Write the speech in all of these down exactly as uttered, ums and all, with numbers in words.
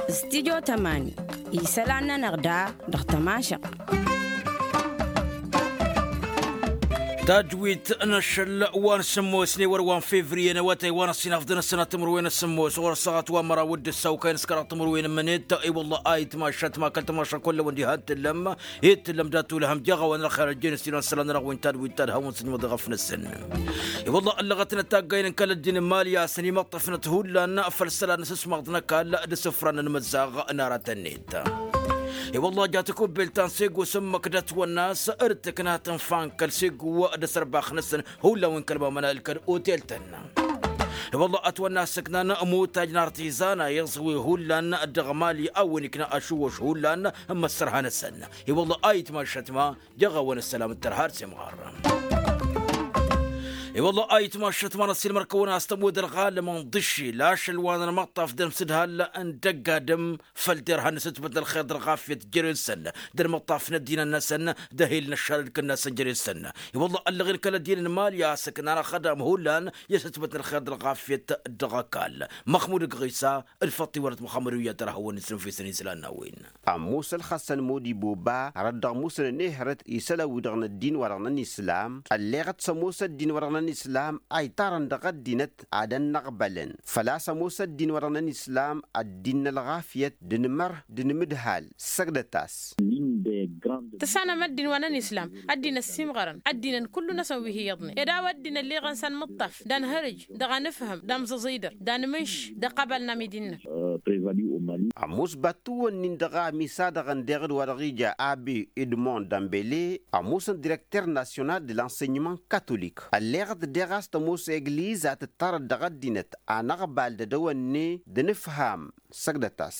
Studyo tămani isălan-nănăɣ da dăɣ-tămašăɣt. Tajwit n-ašăl wa n-sǝmmos n-ewăr wa n-fevriye n-awătay wa n-ăṣṣinaf d-năsănat timǝrwen n-sǝmmos ɣur-ăssaɣăt wa n-măraw d-ǝssawkay n-s kăraḍ timǝrwen n-mănet. I-wălla a itmašat ma kăl-tamašat kullăwăn diha n-tǝllăm. Ittǝllăm dat-tulhăm jeɣ a-wa n-ălxer ăjjeen s-ilan s-ălan n-ăɣwin tadwit tadhăwăn s-ǝnmăḍeɣ ăfnăsăn. I-wălla ăllăɣătnăt taggayen n-kăl-ăddin n-imali a-s ănimăṭṭăfnăt hullan făll-isălan n-asǝsmaḍ n-ăkall d-isǝfran n-imǝzzaɣ n-aratăn-net. I-wălla ja takubbelt ta n-sego s-ǝmmǝk d-ătwănna a-s d-tǝkna tǝnfa n-kăl-sego d-asărbax-năsăn hullan wi n-kăl-mamăna ǝlkăd otel-tăn. I-wălla ătwănna a-s ǝknan mutaj n-artizan a iẓwi hullan dăɣ-mali a-wen ikna ašuwăš hullan n-imăssărha-năsăn. I-wălla a itmašăt ma jeɣ a-wen ăssălam d-tărha d-semɣar. I-wălla a itmašăt ma n-ăssiilmăr-kăwăn a-s tămud ălɣalăm n-iḍǝššil ašăl wa n-ănmăṭṭaf d-ănmsǝdhal n-dăgg-adǝm făll-derhan n-asǝtbăt n-ălxer d-ălɣafyăt jer-ensăn d-ănmăṭṭaf n-ăddinăn-năsăn d-ehil n-ăššalăd kănnasăn jer-ensăn. I-wălla ăllăɣen kăl-ăddinăn n-mali a-s ǝknan ăxădam hullan i-asǝtbăt n-ălxer d-ălɣafyăt dăɣ-ăkall. Măxmud ăgɣisa d-făṭṭiwălăt muxămmăd uyyăt ărhăwăn isǝnfisăn islan n-a-wen. Ămoos ălxăssăn modiboba rădd dăɣ-musǝnăn ehărăt isălan-wi-dăɣ n-ăddin-wa-dăɣ n-ănislam. Ălleɣăt s-ămoos ăddin-wa-dăɣ n-ănislam a iṭarăn dăɣ-ăddinăt ad-ănnăɣbălăn făl-a-s ămoos ăddin-wa-dăɣ n-ănislam ăddin n-ălɣafyăt d-inmăr d-inmǝdhal. Săgdăt-as. Tǝssanăm ăddin wa n-ănislam ăddin ăssiimɣărăn ăddinăn kullu-năsăn wi hi-iyyăḍnen ed a-wa ăddin ălleɣăn s-anmǝṭṭaf d-anhărǝj dăɣ-anǝfhǝm d-amẓǝẓidăr d-anmǝnš d-ăqqabal n-amidi-năk. Ămoos battǝwăn-in dăɣ-a ămisadăɣăn deɣ d-wa-dăɣ ija abe edmond dambele ămoosăn direkter nasyonal de l-ansenyman katolik ălleɣăt deɣ a-s tămoos egliz a tǝttarăt dăɣ-ăddinăt anăɣbal d-edăwănne d-inǝfham. Săgdăt-as.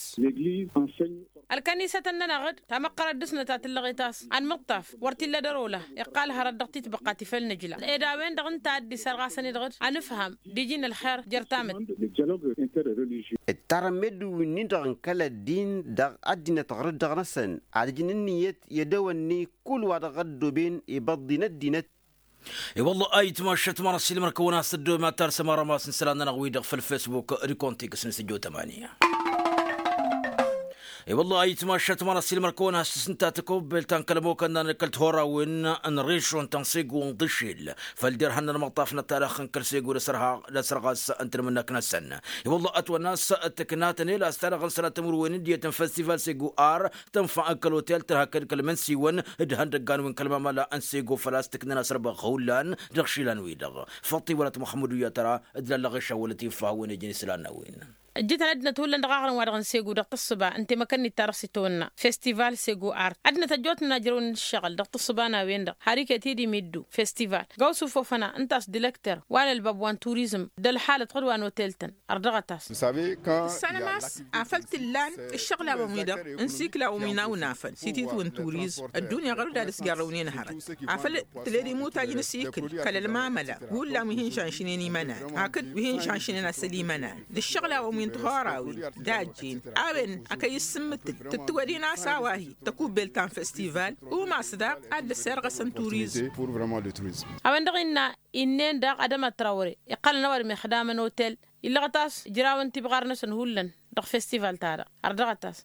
Ălkănisătăn-nănăɣ-dd tamăqqărăt dăɣ-snăt a tǝllăɣet a-s anmǝṭṭaf wăr t-illa d-ărola iqqal hărăt dăɣ-titbăqqa ti făll-nǝjla ed a-wen-dăɣ ǝnta a dd-isărɣasăn-i-dăɣ d-anǝfham d-iji n-ălxer jer-tamǝtte. Ǝttarăn meddǝn-win-dăɣ n-kăl-ăddin dăɣ-ăddinăt ɣur-dd-dăɣ-năsăn ad-ǝjǝn ǝnniyăt i-edăwănne kull wa dăɣ-ăddoben ibăḍḍi n-ăddinăt. I-wălla a itmašăt ma n-ăssiilmăr-kăwăn a-s tăddoobem ad-tarsăm arămas n-isălan-nănăɣ-wi-dăɣ făll-fesbuk d-kontiks n-sǝjjo tămani. I-wălla a itmašăt ma n-ăssiilmăr-kăwăn a-s tǝsǝnta tăkobbelt ta n-kăl-ămokănna n-ăkall tihorawen n-rešon ta n-sego n-iḍǝššel făll-derhan n-ănmăṭṭaf n-ăttalăɣ n-kăl-sego d-asărɣas n-tinmǝnnăk-năsăn. I-wălla ătwănna a-s tǝkna tănel a-s talăɣ n-sănatăm wăr-wen ǝndiyăt n-festival sego ar tǝnfa n-kăl-otel tărha kăl-kăl-imǝnsiwăn d-ihăndăggan wi n-kăl-mamăla n-sego făl-a-s tǝknăn asărbăɣ hullan dăɣ-išilan-wi-dăɣ. Făṭṭiwălăt muxămmăd uyyăt ăra d-lallăɣ išawălăt iffăh a-wen ijăn isălan n-a-wen. Ǝjjǝtăn ăddinăt hullan dăɣ-aɣrǝm-wa-dăɣ n-sego dăɣ-tǝssǝba ǝnta i-măkăn-dd-tarăɣ s-itawănna festival sego art ăddinăt ăjjootnen a ǝjrăwnen ǝššăɣǝl dăɣ-tǝssǝba n-a-wen-dăɣ har iket-dd imiddu festival gawsǝf ofăna ǝnta a-s dilăkter wa n-ălbab wa n-turizm d-ălxalăt ɣǝd wa n-otel-tăn. Ărdăɣăt-as. Tǝssanăm a-s afăl t-ǝllan ǝššăɣlawen-wi-dăɣ n-siklawăn wi n-awnafăn s-ititwǝn turizm ăddunya ɣur-dd ad-ăsjarrăwnen hărăt afăl tǝled imutaj n-asikǝl kăl-ălmamăla hullan wi hin-žănšnen imănan hakd wi hin-žănšnen asăl imănan d-ǝššăɣlawen wi n-tihorawen dajjen a-wen akăy issǝmmǝtǝl tǝttǝwădin a-s a-wa hi-tăkubbelt ta n-festival umas daɣ ad-dd-ăssirɣăsăn turizm. A-wen-dăɣ innă innen daɣ adămăt trawre iqqălăn ăwadǝm ixdamăn otel illăɣăt a-s ǝjrawăn tibɣar-năsăn hullan dăɣ-festival-ta-dăɣ. Ărdăɣăt-as.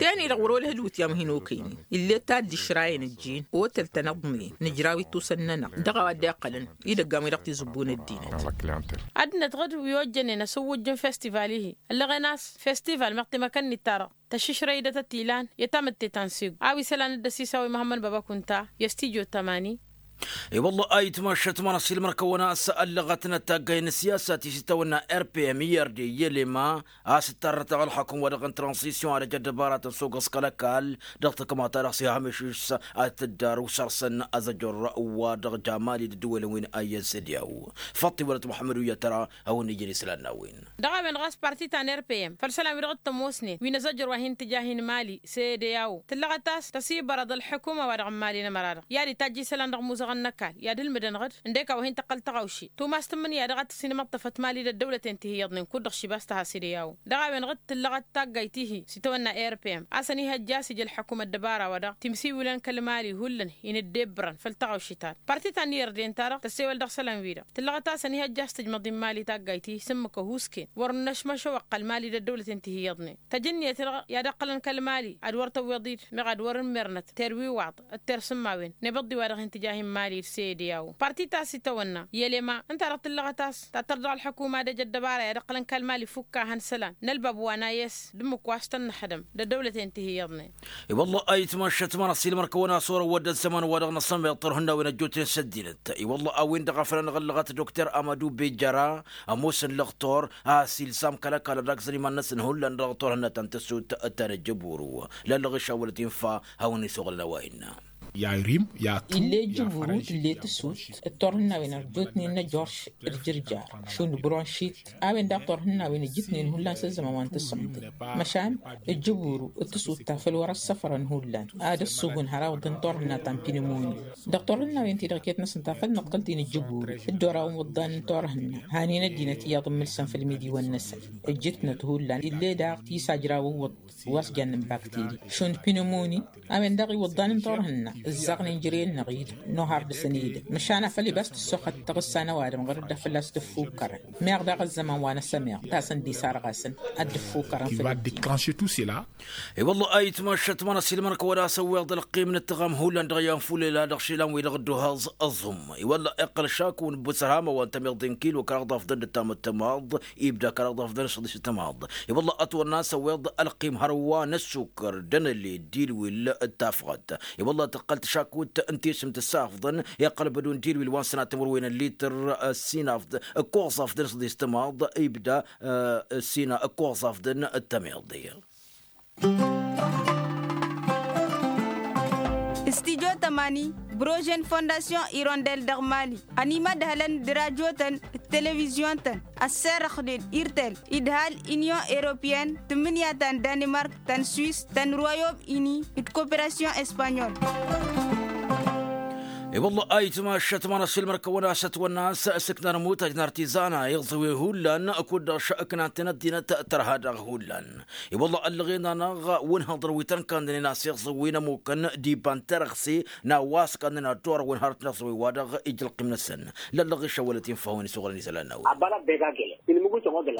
Ten-i-dăɣ wăr-olăh d-iwǝtyan wi hin-okăynen ill'-e ta dd-išrayăn ǝjjin otel-tăn ăḍnen nǝjraw ittusăn-nănăɣ dăɣ-a-wa dd-iqqălăn idăggan-wi-dăɣ tizǝbbu n-ăddinăt. Ăddinăt ɣǝd wi ojjănen ăsǝwwǝjjǝn festival-i-hi ăllăɣen a-s festival meɣ timăkăn-nit-ta-dăɣ tăššǝšrăy-dăt ătilan i-tamǝtte ta n-segu a-wa isălan dd-ăsisawăy măhămmăn baba kunta i-ăstijjo tămani. I-wălla a itmašăt ma n-ăssiilmăr-kăwăn a-s ăllăɣătnăt taggay n-ăssiyasa ti s-itawănna rpm i-ărde i-elema a-s ǝttarrăt dăɣ-ălxukǝm-wa-dăɣ n-tranzisyon ad-ăj ăddăbaratăn s-ogăẓ kăl-ăkall dăɣ-takma-ta-dăɣ s-iham išǝšš ad-t-dd-arǝw săr-săn azăjor-wa-dăɣ jamali d-ăddǝwălăn wi n-ayyăn sădiyaw. Făṭṭiwălăt muḥămmăd uyyăt tăra a-wen ijăn islan n-a-wen. Dăɣ-a-wen ɣas parti ta n-rpm făll-isălan-wi-dăɣ t-ămoosnen wi n-azăjor wa hin-tǝja hin-mali sedeyaw tǝllăɣăt a-s tăsibărăḍ ălḥukuma-wa-dăɣ n-mali n-ămăra-dăɣ i-ad-itajj isălan dăɣ-musa. n-ăkall i-ad-ǝlmǝdăn ɣǝd ǝndek a-wa hin-tăqqăl tăɣawše tumas tǝmmǝnǝya dăɣ-ad-tǝssinămăḍtăfăt mali d-ăddăwlăten ti hi-iyyăḍnen kud-dăɣ šibas tăha s-idăy a-wen dăɣ-ad-tǝllăɣăt taggayt-ihi s-itawănna rpm a-s ănihăjja a-s ija ălḥăkum ăddăbara-wa-dăɣ timsiwǝlăn kăl-mali hullan-i n-ǝddebbărăn făll-taɣawše-ta-dăɣ parti ta n-irdin-ta-dăɣ tăssewăl dăɣ-isălan-wi-dăɣ tǝllăɣăt a-s ănihăjja a-s tǝjmăḍ i n-mali taggayt-ihi s-ǝmmǝk ăhuusken wăr năšmăšăwăɣ kăl-mali d-ăddăwlăten ti hi-iyyăḍnen tăjǝnniyăt-dăɣ i-ad-ăqqălăn kăl-mali ad-wăr tăwweḍ-dd meɣ ad-wăr-ǝmmernăt terwiwaḍ d-tersǝmmawen n-ebăḍḍi wa dăɣ-hin tǝja hin-mali d-sede a-wen parti ta s-itawănna i-elema ǝnta-dăɣ tǝllăɣăt a-s tattăr dăɣ-ălḥăkuma d-ejăt dăbara i-ad-ăqqălăn kăl-mali fukk ahăn isălan n-ălbab wa n-ayes d-ǝmmǝk wa s-tăn-năxdăm d-ăddăwlăten ti hi-iyyăḍnen. I-wălla ayǝtmašăt ma n-ăsilmăr-kăwăn a-s orăwăd ăzzăman wa dăɣ-năsămeḍ tărhǝnnawen ăjjootnen s-ăddinăt i-wălla a-wen-dăɣ a făl anăɣ-ăllăɣăt dokter amădu bejăra ămoosăn lăxtor a-s ilsam kăl-ăkall ad-agzăn iman-năsăn hullan dăɣ-turhǝnna ta n-tăssut ta n-ǝjjǝburu lăllăɣ išawălăt infa hawăn-isuɣǝlăn a-wa innă. Ill'-e ǝjjǝburu tǝll'-e tǝssut d-turhǝnnawen ărjotnen n-ejorš d-jǝrjar šund bronšit a-wen daɣ turhǝnnawen ǝjjǝtnen hullan s-ăzzăman wa n-tǝssǝmtǝn măšan ǝjjǝburu d-tǝssut ta făl wăr-ăssăfrăn hullan ad-ăssugǝn hărawăḍăn turhǝnna ta n-pinimoni dăɣ-turhǝnnawen-ti-dăɣ iket-năsăn ta făl nǝqqǝl-t-in ǝjjǝburu d-ora n-iwǝḍḍan n-turhǝnna hanen ăddinăt iyyăḍ n-imǝlsăn făll-imidiwăn-năsăn ǝjjǝtnăt hullan ill'-e daɣ tisajrawăn wăḍḍ wa s-jannăn bakteri šund pinimoni a-wen-dăɣ iwǝḍḍan n-turhǝnna ǝzzaɣnen jere-năɣ-dd n-ohar dăɣ-săn edăgg măšan afăl ibas tǝssoxăt taɣǝssa n-ăwadǝm ɣur-dd a făl-as tǝffukkărăn meɣ daɣ ăzzăman wa n-asămeɣ tasăn d-isarɣasăn ad-dd-ǝffukkărăn făll-ăddinăt. I-wălla ayǝtmašăt ma n-ăsilmăr-kăwăn a-s ăwweḍ ălqim n-ǝttăɣam hullan dăɣ-iyyăn fulela dăɣ-išilan-wi-dăɣ dd-uhaẓ ăẓum i-wălla iqqăl šaku n-ǝbbus ărhama wa n-tămiḍe n-kilo kăraḍ afdăn d-ǝttam d-tămaḍ ibda kăraḍ afdăn d-săḍis d-tămaḍ. I-wălla ătwănna a-s ăwweḍ ălqim hărwa n-ăssukăr d-anăled d-ilwil d-tafɣăt i-wălla tǝqqăl-t šakut n-tisǝmt ǝssafḍăn iqqăl bădun d-ilwil wa n-sănat timǝrwen n-lităr ăssinafḍ ǝkkoẓaf d-anăsăḍis d-tămaḍ ibda ăssinafḍ ǝkkoẓaf d-anăsăḍis d-tămaḍ. Studyo tămani brožen fondasyon irondel dăɣ-mali ănimădhălăn d-rajotăn d-televizyon-tăn ăsserăxnen irtel idhal inyon europyen tǝmmǝnǝya ta n-danimark ta n-swis ta n-royom ini d-koperasyon espanyol. I-wălla ayǝtmašăt ma n-ăsilmăr-kăwăn a-s ătwănna a-s ǝssǝknan ămutaj n-artizana iẓǝwen hullan kud-dăɣ šăknantăn ăddinăt tărha daɣ hullan. I-wălla ăllăɣen-anăɣ wǝnhăḍăr wi tăn-kandănen a-s iẓǝwen ămukăn d-iba n-terăɣse n-a-wa s-kandănen ad-torăwăn harăt n-iẓǝwen-wa-dăɣ ija ălqim-năsăn lăllăɣ išăwălăt infa a-wen isuɣǝlăn izălan n-a-wen.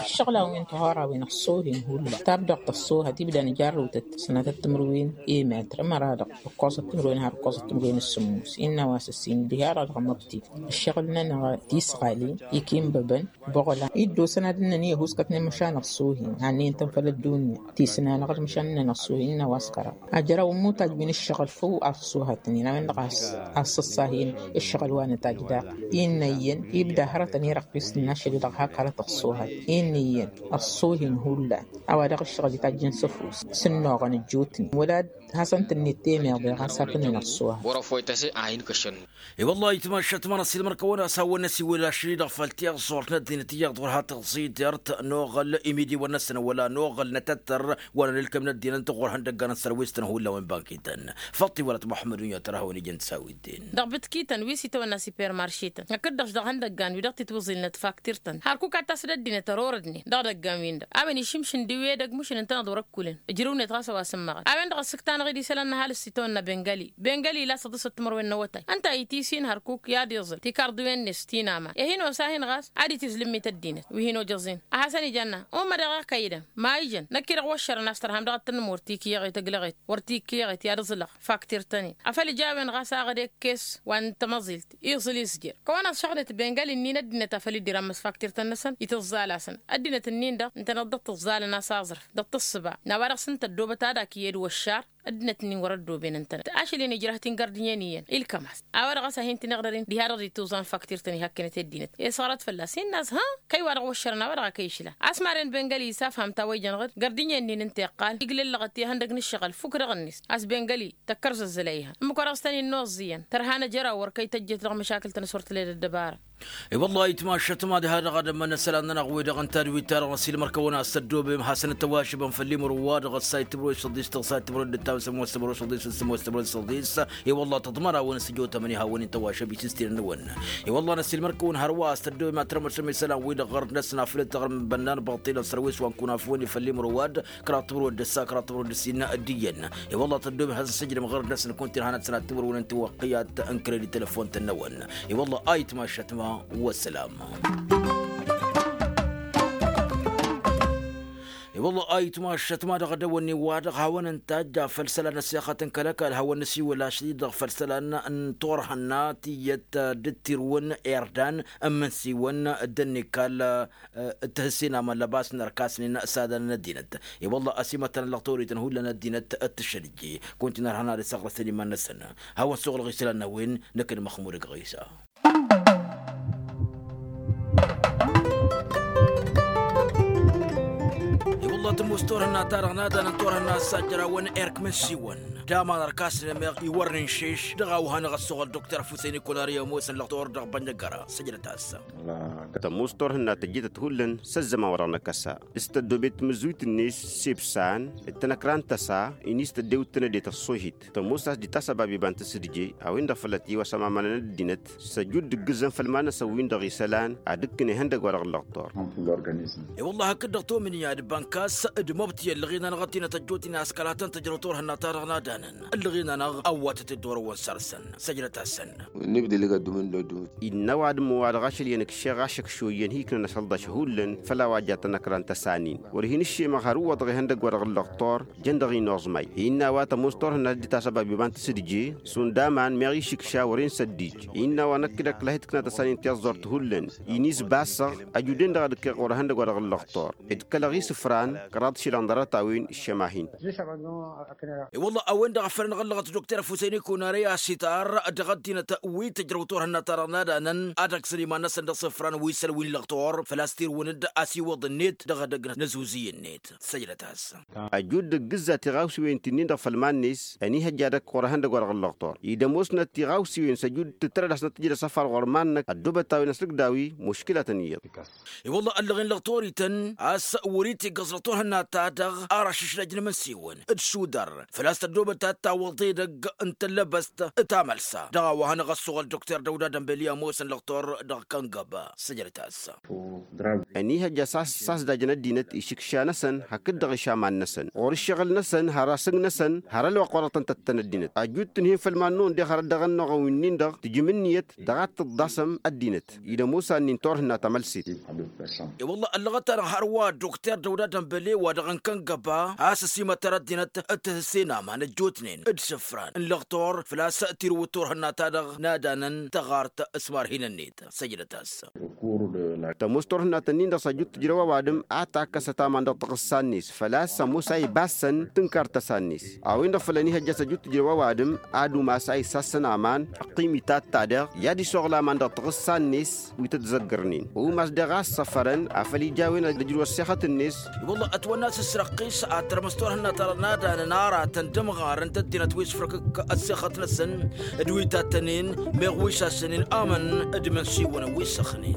Ǝššăɣǝl-a-wen tihora-wen ăṣṣoohen hullan tabdăɣt ăṣṣoohăt ibda n-ijarrăwtăt sănatăt timǝrwen i-metr ămăra-dăɣ ǝkkoẓăt timǝrwen har ǝkkoẓăt timǝrwen s-sǝmmus innă a-wa s-ǝssin diha-dăɣ dăɣ-măbti ǝššăɣǝl-nănăɣ tisɣalin ikinbăbăn buɣlan iddosăn ad-ǝnnăn i-ăhuuskătnen măšan ăṣṣoohen hannăyăn-tăn făll-ăddunya tisǝn-anăɣ-dd măšan ǝnnăn ăṣṣoohen innă a-wa s-kăraḍ ajraw n-imutaj wi n-ǝššăɣǝl făw ăṣṣoohătnen a-wen-dăɣ a-s ăṣṣăṣṣahen ǝššăɣǝl wa n-ătaj daɣ innă iyyăn ibda hărătăn irăqqis n-ašăl-i-dăɣ hak hărăt ăṣṣoohăt innă iyyăn ăṣṣoohen hullan a-wa dăɣ-ǝššăɣǝl itajjăn s-ăfuss s-ǝnnuɣăn ăjjootnen wăla d-hasăn-tǝnnet temeḍe ɣas hakd-nănăɣ s-uha. I-wăllah ayǝtmašăt ma n-ăsilmăr-kăwăn a-s hawăn-năsiwǝl ašăl-i-dăɣ făll-tiẓẓurt n-ăddinăt iyyăḍ ɣur-ha tăẓẓidert n-oɣăl imidiwăn-năsăn wăla n-oɣăl n-atăttăr wăla n-ǝlkǝm n-ăddinăt ɣur-hăn dăggan n-sărwistăn hullan wi n-bankităn. Făṭṭi wăla t-muḥămmăd unyăt ărhawăn ijăn d-sawidden. Dăɣ-bǝtkităn wi s-itawănna sipermaršităn ăkd-dăɣ-š dăɣ-ihăndăggan wi dăɣ-titwǝẓilnăt faktǝrtăn har kuk ad-tasǝd ăddinăt ărorădnen dăɣ-idăggan-win-dăɣ a-wen išǝmšǝn d-iwedăg mušǝn ǝntăneḍ wăr-ǝkkulăn ǝjrǝwnet ɣas a-wa s-ǝmmăɣăn a-wen-dăɣ ăssǝktanăɣ-dd isălan n-ăhalǝs s-itawănna bengali bengali ila săḍǝsăt timărwen n-awătay ǝnta a itǝsǝn hărkuk i-ad-iẓǝl tikarḍiwen-net tinama i-hin-osahin ɣas ad-itǝzlǝmmit ăddinăt wi hin-ojăẓin a hasăn-ija ănna ummădăɣ-ak a idăm ma ijăn năkk-i-dăɣ wăššărăn a-s tărham dăɣ-ad-tăn-nǝmur tikǝyăɣet ăglăɣet wăr tikǝyăɣet i-ad-ǝẓǝlăɣ faktirtăn-in afăl ija a-wen ɣas aɣăd ekkes wa n-tamăẓilt iẓǝl izjer kăwăn-ăẓšăɣnet bengali-nin ăddinăt afăl dd-irammăs faktirtăn-năsăn itǝẓẓal-asăn ăddinăt-nin-dăɣ ǝntăneḍ dăɣ-tǝẓẓalăn a-s aẓrǝf dăɣ-tǝssǝba n-a-wa dăɣ-s ǝnta ăddoobăt ad-ak iyyăd wăššar ăddinăt-nin wăr-ăddooben ǝntănăt ašăl-in ijrăh-t-in gărdinyăn iyyăn ilkăm-as a-wa dăɣ-s a hin-tǝniɣrărin diha-dăɣ dd-ituẓan faktirtăn-i hakkinăt i-ăddinăt i-săɣrăt fălla-s innă a-s hă kăy-wa-dăɣ wăššărăn a-wa dăɣ-ak ăyšǝla a-s maren bengali isafham ta wa ijăn ɣǝd gărdinyăn-nin ǝnta iqqal iglăllăɣăt i-ihăndăg n-ǝššăɣǝl fukk dăɣ-net a-s bengali tăkkărzăzzăl a ihăn ǝmmǝk wa dăɣ-s tăn-in-noẓẓ iyyăn tărha n-ejăraw wăr kăy-tăjjet dăɣ-măšakǝl-tăn s-wăr tǝled ăddăbara. I-wălla ayǝtmašăt ma d-ha-dăɣ ad-ămmănăsălan-nănăɣ-wi-dăɣ ǝnta d-wi-ta-dăɣ ăsilmăr-kăwăn a-s tăddobem hasăn-tăwwašăbăn făll-imǝrǝw-wa-dăɣ ăssay timǝrwe s-săḍis tăɣsa timǝrwe d-ǝttam sămoos timǝrwe s-săḍis s-sămoos timǝrwe d-săḍis. I-wălla tăḍmăr-awăn s-ǝjotămăn ihawăn-in tăwwašăb isǝstinăn-năwăn. I-wălla n-ăsilmăr-kăwăn hărwa a-s tăddobem ad-tărmăsăm isălan-wi-dăɣ ɣărd-năsăn afăl dd-tăɣrǝm bănnan băṭṭilăn sărwes wa n-kunafwen i-făll-imǝrǝw-wa-dd kăraḍ timǝrwe d-ǝssa kăraḍ timǝrwe d-ǝssin d-iyyăn. I-wălla tăddobem hasăn-sǝjrǝm ɣărd-năsăn kunta irha-năsăn ad-timǝrwen n-tiwăqqiyat n-kredit telefon-tăn-năwăn. I-wălla ayǝtmašăt ma. Wăssălam. I-wălla ayǝtmašăt ma dăɣ-dăwănni-wa-dăɣ hawăn-ǝntajj afăl isălan ăssexăt n-kăl-ăkall hawăn-nǝsiwǝl ašăl-i-dăɣ făll-isălan n-turhǝnna tiyyăt d-tirǝwăn irdan n-imǝnsiwăn d-ănnikal. Ǝttǝhǝssin aman lăbas n-ărkasăn i-n-sadăn n-ăddinăt. I-wălla ăsimătăn ăllăɣ torităn hullan ăddinăt d-tǝššăl ǝjje kunta inărhăn ad-ăssaɣrăsăn iman-năsăn. Hawăn-suɣǝlăɣ isălan n-a-wen năkk d-măxmud ăgg ɣisa. I-wălla tămoos turhǝnna-ta-dăɣ n-ad-anăn turhǝnna s-ajjărawăn erk mǝnsiwăn d-aman ărkasăn i-meɣ iwărnen šeš dăɣ-a-wa hanăɣ-ăssoɣăl dokter fusăyni kunari ămoosăn lăɣtor dăɣ-bănnăggăra săjdăt-as. Tămoos turhǝnna tăjjătăt hullan s-ăzzăman wa dăɣ-năkk ăssa s-tăddobet timǝzzuyt-net s-ibsan d-tanăkra n-tăsa. Inis tăddewt tanăde tăṣṣohit tămoos a-s dd-tasăbab iba n-tǝsǝdje a-wen-dăɣ fălla-t iwăsăm amanăn ăddinăt s-ăjut d-ǝggǝzzăn făll-iman-năsăn-win-dăɣ isălan ad-ǝkkǝn ihăndăgg-wa-dăɣ ǝllăɣtor. I-wălla hakd-dăɣ tomǝnǝya d-bănkas d-măbtǝy ăllăɣen-anăɣ ăddinăt ăjjootnen a-s kăla tăn-tǝjrăw turhǝnna-ta-dăɣ n-ad-anăn ǝllăɣen-anăɣ ăwwatăt dd-orăwăn săr-săn. Săjdăt-asăn. Innă ăwadǝm wa-dăɣ ašăl iyyăn ǝkšeɣ ašăkš oyyăn hi-ǝknăn asălḍaš hullan făll-a-wa ja tanăkra n-tăsanin wăr hin-ǝššemăɣ har ǝwwăḍăɣ ihăndăgg-wa-dăɣ ǝllăɣtor. Jăn dăɣ-inoẓmay innă a-wa tămoos turhǝnna dd-tasăbab iba n-tǝsǝdje šund aman meɣ išǝkša wăr-in săddij. Innă a-wa năkk dăɣ-kăla hi-tǝkna tăsanin tiẓẓurt hullan inis basăɣ. Ăjuden-dăɣ ad-ǝkkeɣ ɣur-ihăndăgg-wa-dăɣ ǝllăɣtor d-kălăɣ isǝfran kăraḍ išilan ḍarăt-a-wen. Iššăma-hin. I-wălla a-wen-dăɣ a făl ănɣăllăɣăt dokter fusăyni kunarăy asitar dăɣ-ăddinăt wi tǝjrăw turhǝnna-ta-dăɣ n-ad-anăn ad-ăggsăn iman-năsăn dăɣ-isǝfran wi săl wi n-lăɣtor făl-a-s tirǝwăn-dd a-s iwwăḍ-net dăɣ-edăgg n-ăzuzǝy-net. Săjdăt-as. Ăjud d-ăggǝzza tiɣawsiwen ti-nin-dăɣ făll-iman-net ănihăjja dăɣ-kăwăr ehăndăgg-wa-dăɣ ǝllăɣtor idămoosnăt tiɣawsiwen s-ăjud tǝttărăd a-s năttǝjrăd asăfar ɣur-iman-năk ăddoobăt a-wen ăsrǝkdawi muškǝlatăn iyyăḍ. I-wălla ăllăɣen lăɣtorităn a-s wăr-itiggăẓ lăɣtor hănna-ta-dăɣ ar ašǝšlăj n-imǝnsiwăn d-šudăr făl-a-s tăddoobăt ta t-tawwăḍ edăgg n-tăllăbăst. Tamălsa dăɣ-a-wa hanăɣ-ăssuɣăl dokter dăwda dămbeli ămoosăn lăɣtor dăɣ-kăngăba. Săjdăt-as. Ănihăjja s-a-s s-a-s dajăn ăddinăt išǝkša-năsăn hakd-dăɣ išaman-năsăn ɣur-ǝššăɣǝl-năsăn har asǝng-năsăn har ălwăqq wa dăɣ-tăn-tăttăn ăddinăt ăjut-tǝnhǝyăn făll-iman-năwăn deɣ hărăt dăɣ-ănnuɣăn wi-nin-dăɣ tǝjǝm ǝnniyăt dăɣ-ad-tǝḍḍasăm ăddinăt. Id-ămoos a ǝnnin turhǝnna tamălsit. I-wălla ăllăɣăt-anăɣ hărwa dokter dăwda dămbăle wa dăɣ-n kăngăba a-s ăsimătăr ăddinăt d-tihǝssen aman ăjjootnen d-isǝfran n-lăɣtor făl-a-s tirǝwǝd turhǝnna-ta-dăɣ n-ad-anăn tăɣart s-imarhin-net. Săjdăt-as. Tămoos turhǝnnat-nin-dăɣ s-ăjut tǝjrăw ăwadǝm a takkăsăt aman dăɣ-taɣǝssa-net făl-a-s ămoos a ibassăn tǝnkar tăsa-net. A-wen-dăɣ făl ănihăjja s-ăjut tǝjrăw ăwadǝm ad-umas a isassăn aman ăqqim itatta dăɣ i-ad-isoɣǝl aman dăɣ-taɣǝssa-net wi tăt-zăggărnen umas daɣ a ăssăfărăn afăl ija a-wen ad-ǝjrǝw ăssexăt-net. I-wălla ătwănna a-s ǝssrăqqis ad-tărmǝs turhǝnna ta dăɣ-n ad-anăn aratăn d-ămɣarăn d-ăddinăt wi s-făr-kǝkk ăssexăt-năsăn d-wi tattănen meɣ wi s-assănen amăn d-imǝnsiwăn wi s-ăxnen.